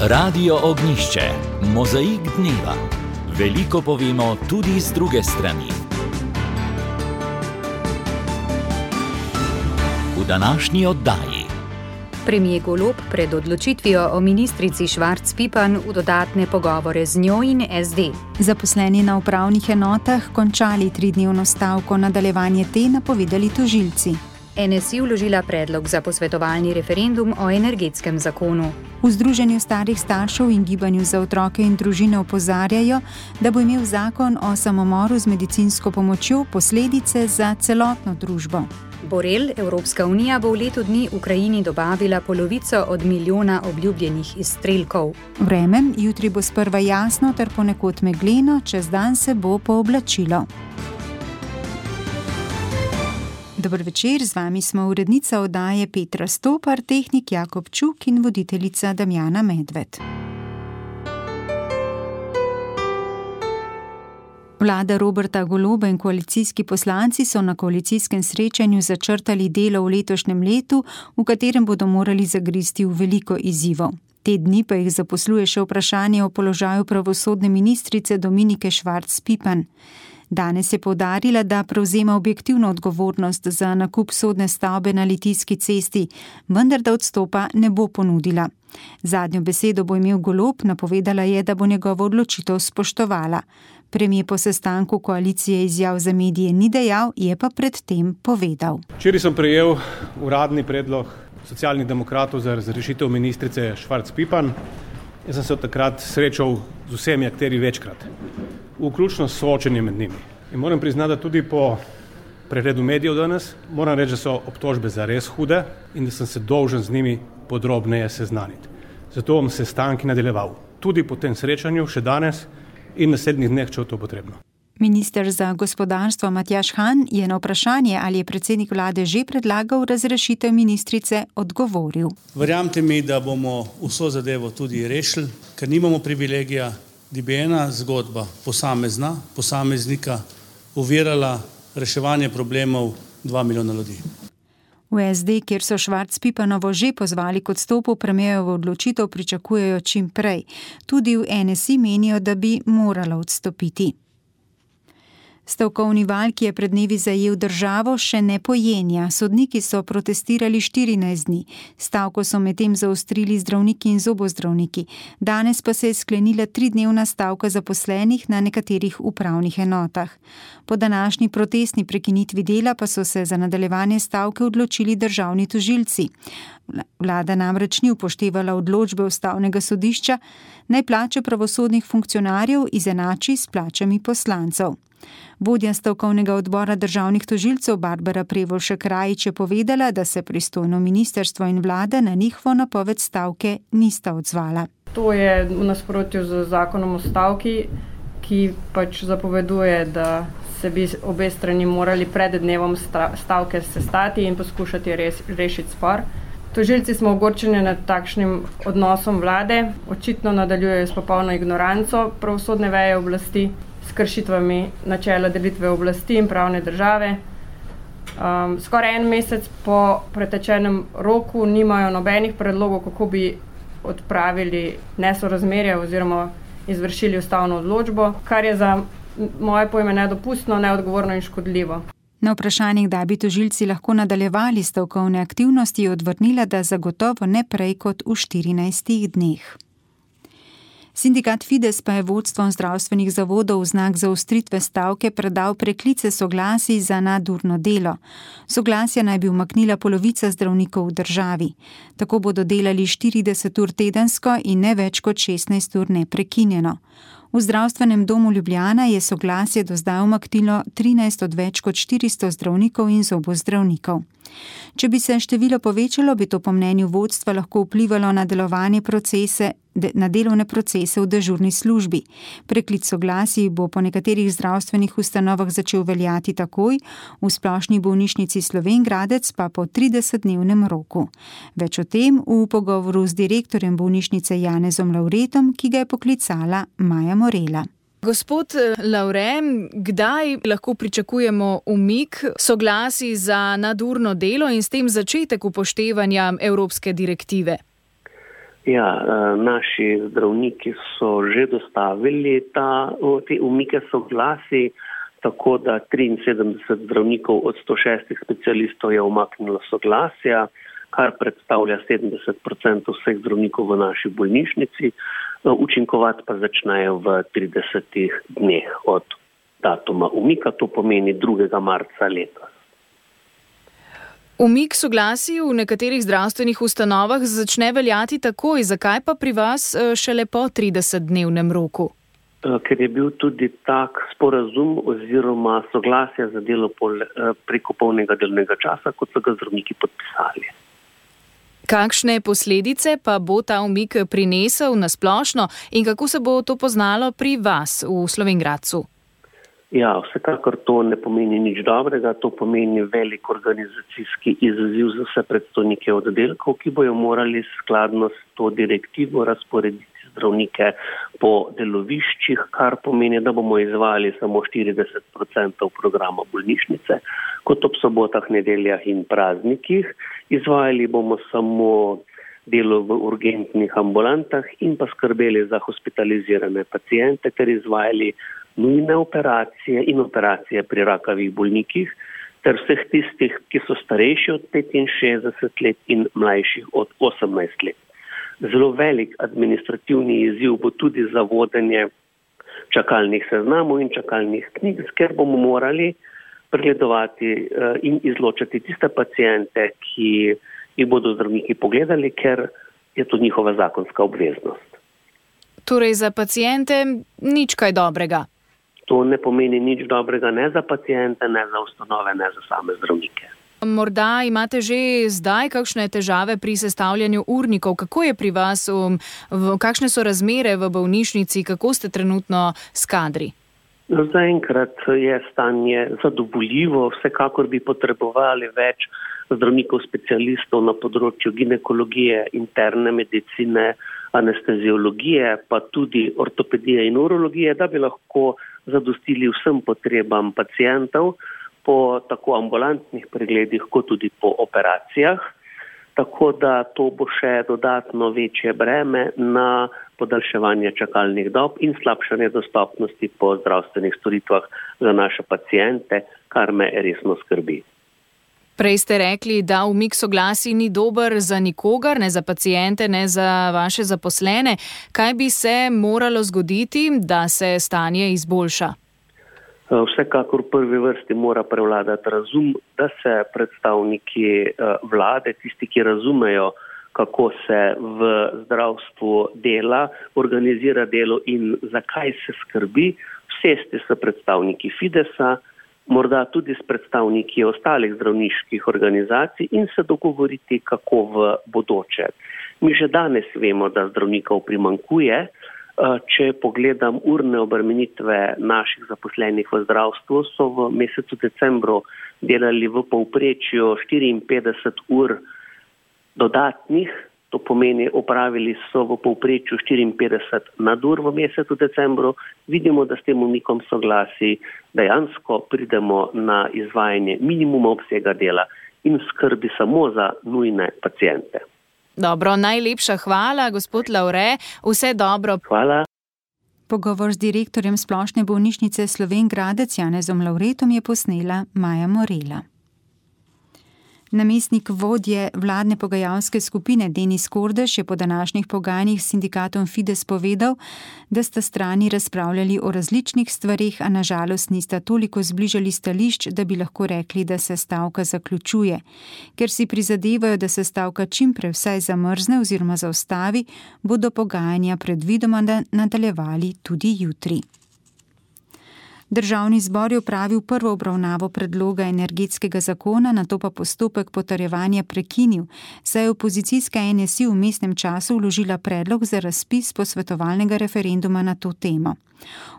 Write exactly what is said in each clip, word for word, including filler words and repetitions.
Radio Ognjišče, mozaik dneva. Veliko povemo tudi z druge strani. V današnji oddaji. Premier Golob pred odločitvijo o ministrici Švarc Pipan v dodatne pogovore z njo in es de. Zaposleni na upravnih enotah končali tridnevno stavko, nadaljevanje te napovedali tožilci. en es i vložila predlog za posvetovalni referendum o energetskem zakonu. V Združenju starih staršev in Gibanju za otroke in družine opozarjajo, da bo imel zakon o samomoru z medicinsko pomočjo posledice za celotno družbo. Borel, Evropska unija bo v letu dni Ukrajini dobavila polovico od milijona obljubljenih izstrelkov. Vreme, jutri bo sprva jasno ter ponekod megleno, čez dan se bo pooblačilo. Dober večer, z vami smo urednica oddaje Petra Stopar, tehnik Jakob Čuk in voditeljica Damjana Medved. Vlada Roberta Goloba in koalicijski poslanci so na koalicijskem srečanju začrtali delo v letošnjem letu, v katerem bodo morali zagristi v veliko izzivov. Te dni pa jih zaposluje še vprašanje o položaju pravosodne ministrice Dominike Švarc Pipan. Danes je poudarila, da prevzema objektivno odgovornost za nakup sodne stavbe na Litijski cesti, vendar da odstopa ne bo ponudila. Zadnjo besedo bo imel Golob, napovedala je, da bo njegovo odločitev spoštovala. Premier po sestanku koalicije izjav za medije ni dejal, je pa predtem povedal. Včeraj sem prejel uradni predlog Socialnih demokratov za razrešitev ministrice Švarc Pipan. Jaz sem se od takrat srečal z vsemi akterji večkrat, vključno s soočenjem med njimi. In moram priznati, da tudi po pregledu medijev danes moram reči, da so obtožbe zares hude in da sem se dolžen z njimi podrobneje seznaniti. Zato bom sestanki nadaljeval tudi po tem srečanju še danes in naslednjih dneh, če je to potrebno. Minister za gospodarstvo Matjaž Han je na vprašanje, ali je predsednik vlade že predlagal razrešitev ministrice, odgovoril. Verjamte mi, da bomo vso zadevo tudi rešili, ker nimamo privilegija, da bi ena zgodba posamezna, posameznika ovirala reševanje problemov dva milijona ljudi. V es de, kjer so Švarc Pipanovo že pozvali k odstopu, premierjevo odločitev pričakujejo čim prej. Tudi v en es i menijo, da bi morala odstopiti. Stavkovni val, ki je pred dnevi zajel državo, še ne pojenja. Sodniki so protestirali štirinajst dni. Stavko so medtem zaostrili zdravniki in zobozdravniki. Danes pa se je sklenila tridnevna stavka zaposlenih na nekaterih upravnih enotah. Po današnji protestni prekinitvi dela pa so se za nadaljevanje stavke odločili državni tožilci. Vlada namreč ni upoštevala odločbe ustavnega sodišča, naj plače pravosodnih funkcionarjev izenači s plačami poslancev. Vodja stavkovnega odbora državnih tožilcev Barbara Prevolšek Rajić je povedala, da se pristojno ministrstvo in vlada na njihovo napoved stavke nista odzvala. To je v nasprotju z zakonom o stavki, ki pač zapoveduje, da se bi obe strani morali pred dnevom stavke sestati in poskušati res, rešiti spor. Tožilci smo ogorčeni nad takšnim odnosom vlade, očitno nadaljujejo s popolno ignoranco pravosodne veje oblasti, s kršitvami načela delitve oblasti in pravne države. Um, skoraj en mesec po pretečenem roku nimajo nobenih predlogov, kako bi odpravili nesorazmerje oziroma izvršili ustavno odločbo, kar je za moje pojme nedopustno, neodgovorno in škodljivo. Na vprašanje, kdaj bi tožilci lahko nadaljevali stavkovne aktivnosti, je odvrnila, da zagotovo ne prej kot v štirinajstih dneh. Sindikat Fides pa je vodstvom zdravstvenih zavodov v znak zaostritve stavke predal preklice soglasij za nadurno delo. Soglasja naj bi umaknila polovica zdravnikov v državi. Tako bodo delali štirideset ur tedensko in ne več kot šestnajst ur neprekinjeno. V zdravstvenem domu Ljubljana je soglasje do zdaj umaknilo trinajst od več kot štiristo zdravnikov in zobozdravnikov. Če bi se število povečalo, bi to po mnenju vodstva lahko vplivalo na delovanje procese, na delovne procese v dežurni službi. Preklic soglasij bo po nekaterih zdravstvenih ustanovah začel veljati takoj, v Splošni bolnišnici Slovenj Gradec pa po tridesetdnevnem roku. Več o tem v pogovoru z direktorjem bolnišnice Janezom Lavretom, ki ga je poklicala Maja Morela. Gospod Lavre, kdaj lahko pričakujemo umik soglasij za nadurno delo in s tem začetek upoštevanja evropske direktive? Ja, naši zdravniki so že dostavili ta, te umike soglasij, tako da triinsedemdeset zdravnikov od sto šestih specialistov je umaknilo soglasja, kar predstavlja sedemdeset procentov vseh zdravnikov v naši bolnišnici. Učinkovati pa začnejo v tridesetih dneh od datuma umika, to pomeni drugega marca letos. Umik soglasij v nekaterih zdravstvenih ustanovah začne veljati takoj, zakaj pa pri vas šele po tridesetdnevnem roku? Ker je bil tudi tak sporazum oziroma soglasje za delo preko polnega delovnega časa, kot so ga zdravniki podpisali. Kakšne posledice pa bo ta umik prinesel na splošno in kako se bo to poznalo pri vas v Slovenj Gradcu? Ja, vsekakor to ne pomeni nič dobrega, to pomeni velik organizacijski izziv za vse predstojnike oddelkov, ki bojo morali skladno s to direktivo razporediti zdravnike po deloviščih, kar pomeni, da bomo izvajali samo štirideset procentov programa bolnišnice, kot ob sobotah, nedeljah in praznikih. Izvajali bomo samo delo v urgentnih ambulantah in pa skrbeli za hospitalizirane paciente ter izvajali nujne operacije in operacije pri rakavih bolnikih ter vseh tistih, ki so starejši od petinšestdeset let in mlajših od osemnajst let. Zelo velik administrativni izziv bo tudi za vodenje čakalnih seznamov in čakalnih knjig, ker bomo morali pregledovati in izločati tiste paciente, ki jih bodo zdravniki pogledali, ker je to njihova zakonska obveznost. Torej za paciente nič kaj dobrega? To ne pomeni nič dobrega ne za paciente, ne za ustanove, ne za same zdravnike. Morda imate že zdaj kakšne težave pri sestavljanju urnikov. Kako je pri vas, um, v, kakšne so razmere v bolnišnici, kako ste trenutno s kadri? Zaenkrat je stanje zadovoljivo, vsekakor bi potrebovali več zdravnikov specialistov na področju ginekologije, interne medicine, anesteziologije, pa tudi ortopedije in urologije, da bi lahko zadostili vsem potrebam pacientov po tako ambulantnih pregledih, kot tudi po operacijah. Tako da to bo še dodatno večje breme na podaljševanje čakalnih dob in slabšanje dostopnosti po zdravstvenih storitvah za naše paciente, kar me resno skrbi. Prej ste rekli, da umik soglasij ni dober za nikogar, ne za paciente, ne za vaše zaposlene. Kaj bi se moralo zgoditi, da se stanje izboljša? Vsekakor v prvi vrsti mora prevladati razum, da se predstavniki vlade, tisti, ki razumejo, kako se v zdravstvu dela, organizira delo in zakaj se skrbi, sesti s predstavniki Fidesa, morda tudi s predstavniki ostalih zdravniških organizacij in se dogovoriti, kako v bodoče. Mi že danes vemo, da zdravnikov primanjkuje. Če pogledam urne obremenitve naših zaposlenih v zdravstvu, so v mesecu decembru delali v povprečju štiriinpetdeset ur dodatnih, to pomeni opravili so v povprečju štiriinpetdeset nadur v mesecu decembru. Vidimo, da s tem umikom soglasij dejansko pridemo na izvajanje minimuma obsega dela in skrbi samo za nujne paciente. Dobro, najlepša hvala, gospod Lavre. Vse dobro. Hvala. Pogovor z direktorjem Splošne bolnišnice Slovenj Gradec Janezom Lavretom je posnela Maja Morela. Namestnik vodje vladne pogajalske skupine Denis Kordež je po današnjih pogajanjih s sindikatom Fides povedal, da sta strani razpravljali o različnih stvarih, a na žalost nista toliko zbližali stališč, da bi lahko rekli, da se stavka zaključuje. Ker si prizadevajo, da se stavka čim prej vsaj zamrzne oziroma zaustavi, bodo pogajanja predvidoma nadaljevali tudi jutri. Državni zbor je opravil prvo obravnavo predloga energetskega zakona, nato pa postopek potrjevanja prekinil, saj je opozicijska N S I v vmesnem času vložila predlog za razpis posvetovalnega referenduma na to temo.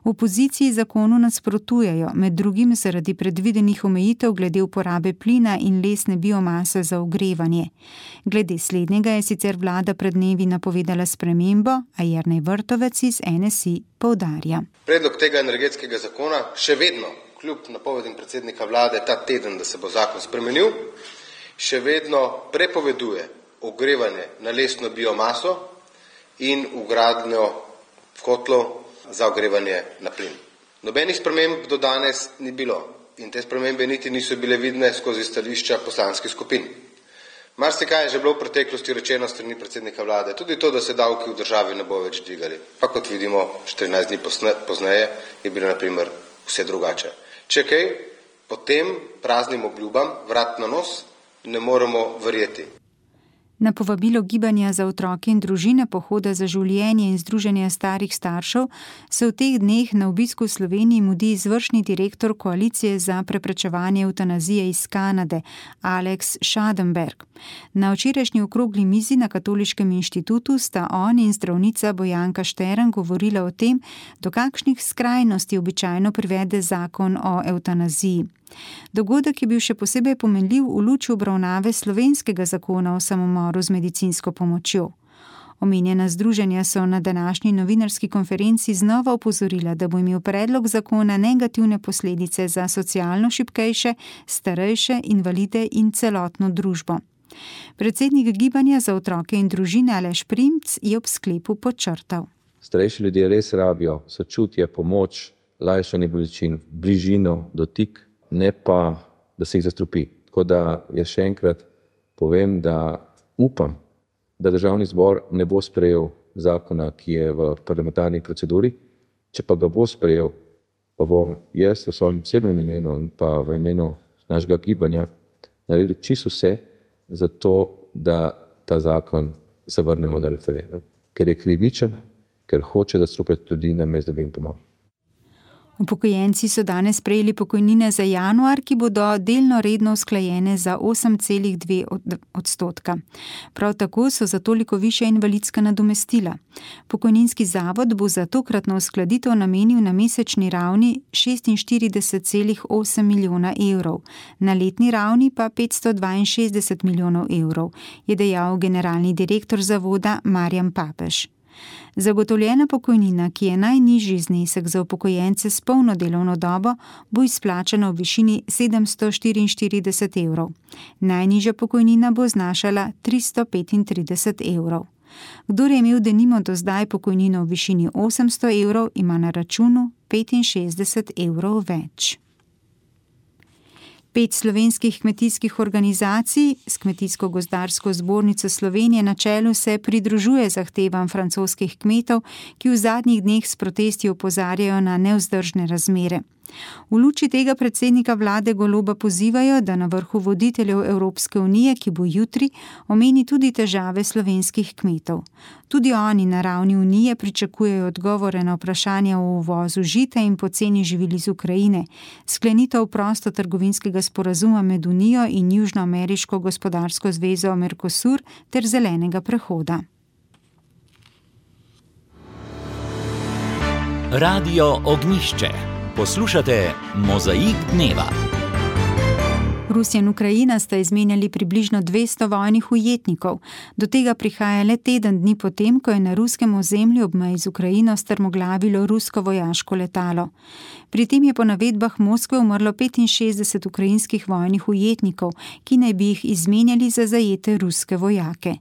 V opoziciji zakonu nasprotujejo, med drugim zaradi predvidenih omejitev glede uporabe plina in lesne biomase za ogrevanje. Glede slednjega je sicer vlada pred dnevi napovedala spremembo, a Jernej Vrtovec iz N S I poudarja. Predlog tega energetskega zakona še vedno, kljub napovedim predsednika vlade ta teden, da se bo zakon spremenil, še vedno prepoveduje ogrevanje na lesno biomaso in vgradnjo kotlov za ogrevanje na plin. Nobenih sprememb do danes ni bilo in te spremembe niti niso bile vidne skozi stališča poslanskih skupin. Marsikaj je že bilo v preteklosti rečeno strani predsednika vlade, tudi to, da se davki v državi ne bo več dvigali. Pa kot vidimo, štirinajst dni pozneje je bilo na primer vse drugače. Če kaj, potem praznim obljubam vrat na nos ne moremo verjeti. Na povabilo Gibanja za otroke in družine, Pohoda za življenje in Združenja starih staršev se v teh dneh na obisku v Sloveniji mudi izvršni direktor Koalicije za preprečevanje evtanazije iz Kanade, Alex Schadenberg. Na včerajšnji okrogli mizi na Katoliškem inštitutu sta on in zdravnica Bojanka Štern govorila o tem, do kakšnih skrajnosti običajno privede zakon o evtanaziji. Dogodek je bil še posebej pomenljiv v luči obravnave slovenskega zakona o samomoru z medicinsko pomočjo. Omenjena združenja so na današnji novinarski konferenci znova opozorila, da bo imel predlog zakona negativne posledice za socialno šibkejše, starejše, invalide in celotno družbo. Predsednik Gibanja za otroke in družine Aleš Primc je ob sklepu podčrtal. Starejši ljudje res rabijo sočutje, pomoč, lajšanje bolečin, bližino, dotik, ne pa, da se jih zastrupi. Tako da jaz še enkrat povem, da upam, da državni zbor ne bo sprejel zakona, ki je v parlamentarni proceduri. Če pa ga bo sprejel, pa bom jaz v svojem osebnem imenu in pa v imenu našega gibanja naredil čisto vse za to, da ta zakon zavrnemo na referendum. Ker je krivičen, ker hoče zastrupiti ljudi namesto, da bi jim pomagal. Upokojenci so danes prejeli pokojnine za januar, ki bodo delno redno usklajene za osem celih dve odstotka. Prav tako so za toliko višja invalidska nadomestila. Pokojninski zavod bo za tokratno uskladitev namenil na mesečni ravni šestinštirideset celih osem milijona evrov, na letni ravni pa petsto dvainšestdeset milijonov evrov, je dejal generalni direktor zavoda Marjan Papež. Zagotovljena pokojnina, ki je najnižji znesek za upokojence s polno delovno dobo, bo izplačana v višini sedemsto štiriinštirideset evrov. Najnižja pokojnina bo znašala tristo petintrideset evrov. Kdor je imel denimo do zdaj pokojnino v višini osemsto evrov, ima na računu petinšestdeset evrov več. Pet slovenskih kmetijskih organizacij s Kmetijsko-gozdarsko zbornico Slovenije na čelu se pridružuje zahtevam francoskih kmetov, ki v zadnjih dneh s protesti opozarjajo na nevzdržne razmere. V luči tega predsednika vlade Goloba pozivajo, da na vrhu voditeljev Evropske unije, ki bo jutri, omeni tudi težave slovenskih kmetov. Tudi oni na ravni unije pričakujejo odgovore na vprašanja o uvozu žita in poceni živil iz Ukrajine, sklenitev prostotrgovinskega sporazuma med Unijo in Južnoameriško gospodarsko zvezo Mercosur ter zelenega prehoda. Radio Ognjišče. Poslušate Mozaik dneva. Rusija in Ukrajina sta izmenjali približno dvesto vojnih ujetnikov. Do tega prihaja le teden dni potem, ko je na ruskem ozemlju ob meji z Ukrajino strmoglavilo rusko vojaško letalo. Pri tem je po navedbah Moskve umrlo petinšestdeset ukrajinskih vojnih ujetnikov, ki naj bi jih izmenjali za zajete ruske vojake.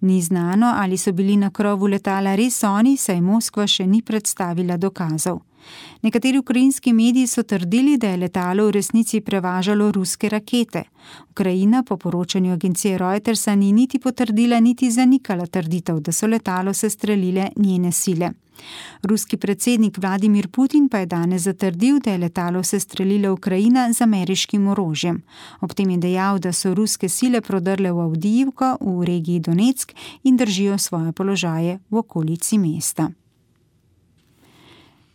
Ni znano, ali so bili na krovu letala res oni, saj Moskva še ni predstavila dokazov. Nekateri ukrajinski mediji so trdili, da je letalo v resnici prevažalo ruske rakete. Ukrajina po poročanju agencije Reutersa ni niti potrdila, niti zanikala trditev, da so letalo sestrelile njene sile. Ruski predsednik Vladimir Putin pa je danes zatrdil, da je letalo sestrelila Ukrajina z ameriškim orožjem. Ob tem je dejal, da so ruske sile prodrle v Avdijivko v regiji Donetsk in držijo svoje položaje v okolici mesta.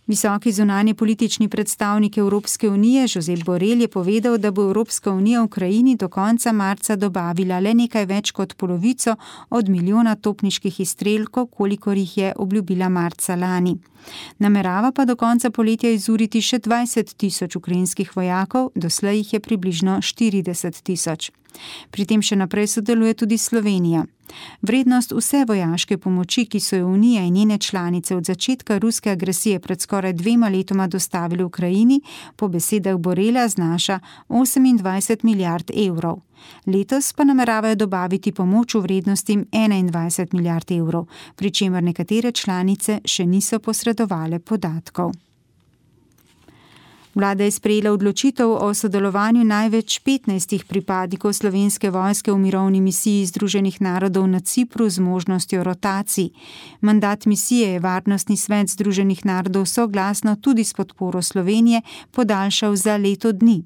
Visoki zunanji politični predstavnik Evropske unije Josep Borrell je povedal, da bo Evropska unija Ukrajini do konca marca dobavila le nekaj več kot polovico od milijona topniških izstrelkov, kolikor jih je obljubila marca lani. Namerava pa do konca poletja izuriti še dvajset tisoč ukrajinskih vojakov, doslej jih je približno štirideset tisoč. Pri tem še naprej sodeluje tudi Slovenija. Vrednost vse vojaške pomoči, ki so jo Unija in njene članice od začetka ruske agresije pred skoraj dvema letoma dostavili Ukrajini, po besedah Borela znaša osemindvajset milijard evrov. Letos pa nameravajo dobaviti pomoč v vrednosti enaindvajset milijard evrov, pri čemer nekatere članice še niso posredovale podatkov. Vlada je sprejela odločitev o sodelovanju največ petnajstih pripadnikov slovenske vojske v mirovni misiji Združenih narodov na Cipru z možnostjo rotacij. Mandat misije je Varnostni svet Združenih narodov soglasno tudi s podporo Slovenije podaljšal za leto dni.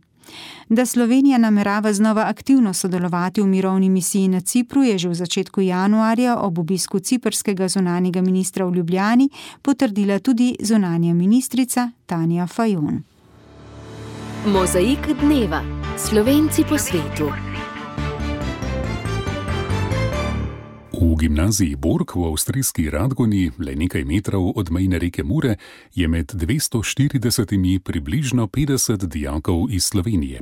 Da Slovenija namerava znova aktivno sodelovati v mirovni misiji na Cipru, je že v začetku januarja ob obisku ciprskega zunanjega ministra v Ljubljani potrdila tudi zunanja ministrica Tanja Fajon. Mozaik dneva. Slovenci po svetu. V gimnaziji Borg v avstrijski Radgoni, le nekaj metrov od mejne reke Mure, je med dvesto štiridesetimi približno petdeset dijakov iz Slovenije.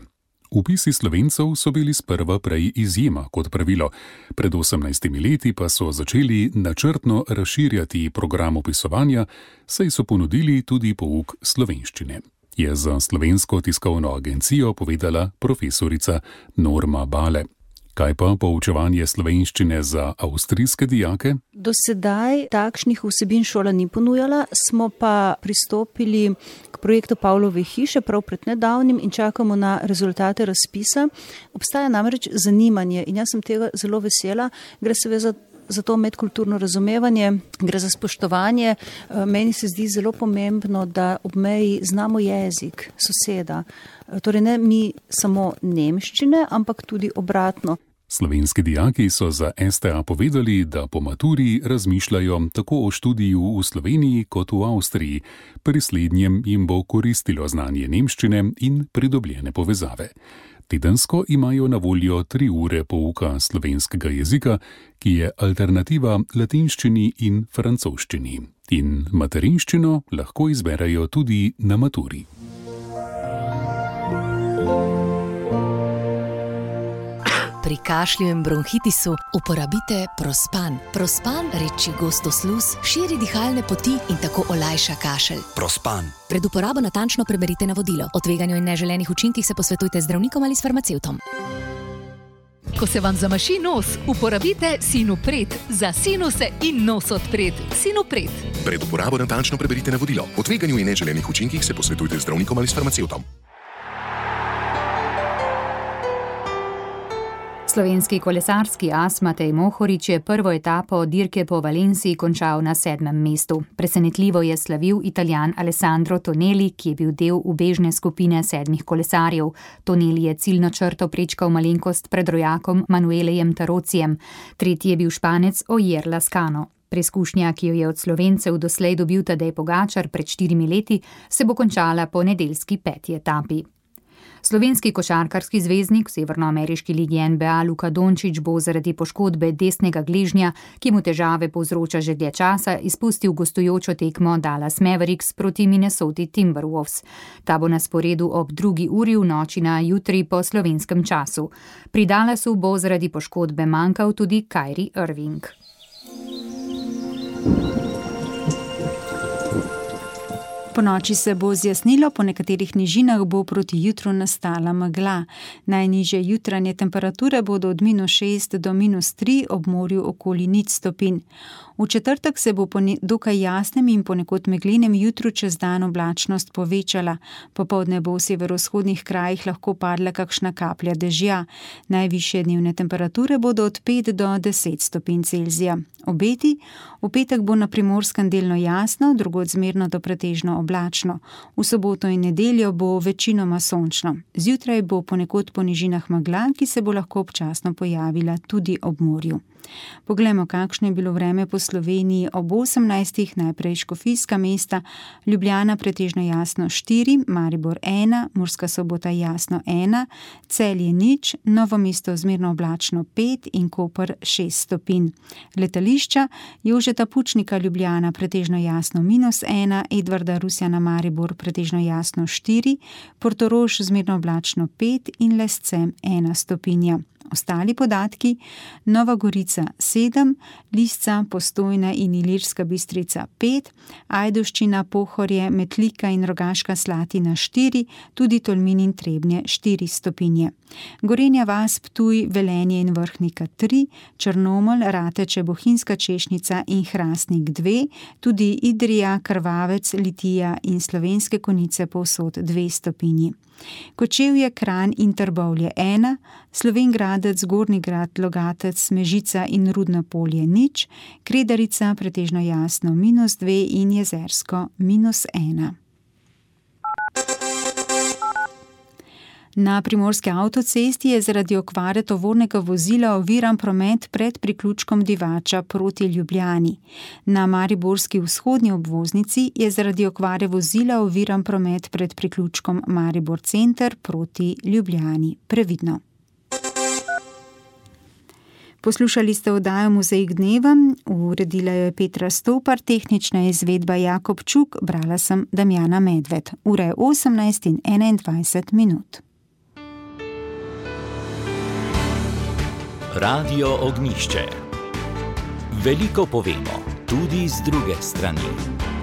Vpisi Slovencev so bili sprva prej izjema kot pravilo. Pred osemnajstimi leti pa so začeli načrtno razširjati program opisovanja, saj so ponudili tudi pouk slovenščine, je za Slovensko tiskovno agencijo povedala profesorica Norma Bale. Kaj pa poučevanje slovenščine za avstrijske dijake? Do sedaj takšnih vsebin šola ni ponujala, smo pa pristopili k projektu Pavlove hiše prav pred nedavnim in čakamo na rezultate razpisa. Obstaja namreč zanimanje in jaz sem tega zelo vesela. Gre seveda za to medkulturno razumevanje, gre za spoštovanje. Meni se zdi zelo pomembno, da ob meji znamo jezik soseda. Torej ne mi samo nemščine, ampak tudi obratno. Slovenski dijaki so za S T A povedali, da po maturi razmišljajo tako o študiju v Sloveniji kot v Avstriji. Pri slednjem jim bo koristilo znanje nemščine in pridobljene povezave. Tedensko imajo na voljo tri ure pouka slovenskega jezika, ki je alternativa latinščini in francoščini. In materinščino lahko izberejo tudi na maturi. Pri kašlju in bronhitisu uporabite Prospan. Prospan reči gostosluz, širi dihalne poti in tako olajša kašelj. Prospan. Pred uporabo natančno preberite navodilo. O tveganju in neželenih učinkih se posvetujte z zdravnikom ali s farmacevtom. Ko se vam zamaši nos, uporabite Sinopret. Za sinuse in nos odpret. Sinopret. Pred uporabo natančno preberite navodilo. O tveganju in neželenih učinkih se posvetujte z zdravnikom ali s farmacevtom. Slovenski kolesarski as Matej Mohorič je prvo etapo dirke po Valenciji končal na sedmem mestu. Presenetljivo je slavil Italijan Alessandro Tonelli, ki je bil del ubežne skupine sedmih kolesarjev. Tonelli je ciljno črto prečkal malenkost pred rojakom Manuelejem Tarocijem. Tretji je bil Španec Ogier Lascano. Preizkušnja, ki jo je od Slovencev doslej dobil Tadej Pogačar pred štirimi leti, se bo končala po nedeljski peti etapi. Slovenski košarkarski zvezdnik v severnoameriški ligi N B A Luka Dončić bo zaradi poškodbe desnega gležnja, ki mu težave povzroča že dlje časa, izpustil gostujočo tekmo Dallas Mavericks proti Minnesoti Timberwolves. Ta bo na sporedu ob drugi uri v noči na jutri po slovenskem času. Pri Dallasu bo zaradi poškodbe manjkal tudi Kyrie Irving. Po noči se bo zjasnilo, po nekaterih nižinah bo proti jutru nastala megla. Najnižje jutranje temperature bodo od minus šest do minus tri, ob morju okoli nič stopinj. V četrtek se bo po dokaj jasnem in ponekod meglenem jutru čez dan oblačnost povečala. Popoldne bo v severovzhodnih krajih lahko padla kakšna kaplja dežja. Najvišje dnevne temperature bodo od pet do deset stopinj Celzija. Obeti: v petek bo na Primorskem delno jasno, drugod zmerno do pretežno oblačno. V soboto in nedeljo bo večinoma sončno. Zjutraj bo ponekod po nižinah megla, ki se bo lahko občasno pojavila tudi ob morju. Poglejmo, kakšno je bilo vreme po Sloveniji ob osemnajstih, najprej Škofijska mesta, Ljubljana pretežno jasno štiri, Maribor ena, Murska Sobota jasno ena, Celje nič, Novo mesto zmerno oblačno pet in Koper šest stopinj. Letališča: Jožeta Pučnika Ljubljana pretežno jasno minus ena, Edvarda Rusjana Maribor pretežno jasno štiri, Portorož zmerno oblačno pet in Lescem ena stopinja. Ostali podatki: Nova Gorica sedem, Lisca, Postojna in Ilirska Bistrica pet, Ajdovščina, Pohorje, Metlika in Rogaška Slatina štiri, tudi Tolmin in Trebnje štiri stopinje. Gorenja vas, Ptuj, Velenje in Vrhnika tri, Črnomelj, Rateče, Bohinjska Češnica in Hrastnik dve, tudi Idrija, Krvavec, Litija in Slovenske Konjice povsod dve stopinji. Kočevje, Kranj in Trbovlje ena, Slovenj Gradec, Gornji Grad, Logatec, Mežica in Rudno Polje nič, Kredarica pretežno jasno minus dve in Jezersko minus ena. Na primorski avtocesti je zaradi okvare tovornega vozila oviran promet pred priključkom Divača proti Ljubljani. Na mariborski vzhodni obvoznici je zaradi okvare vozila oviran promet pred priključkom Maribor Center proti Ljubljani. Previdno. Poslušali ste oddajo Mozaik dneva, uredila jo je Petra Stopar, tehnična izvedba Jakob Čuk, brala sem Damjana Medved. Ura je osemnajst in enaindvajset minut. Radio Ognjišče. Veliko povemo, tudi z druge strani.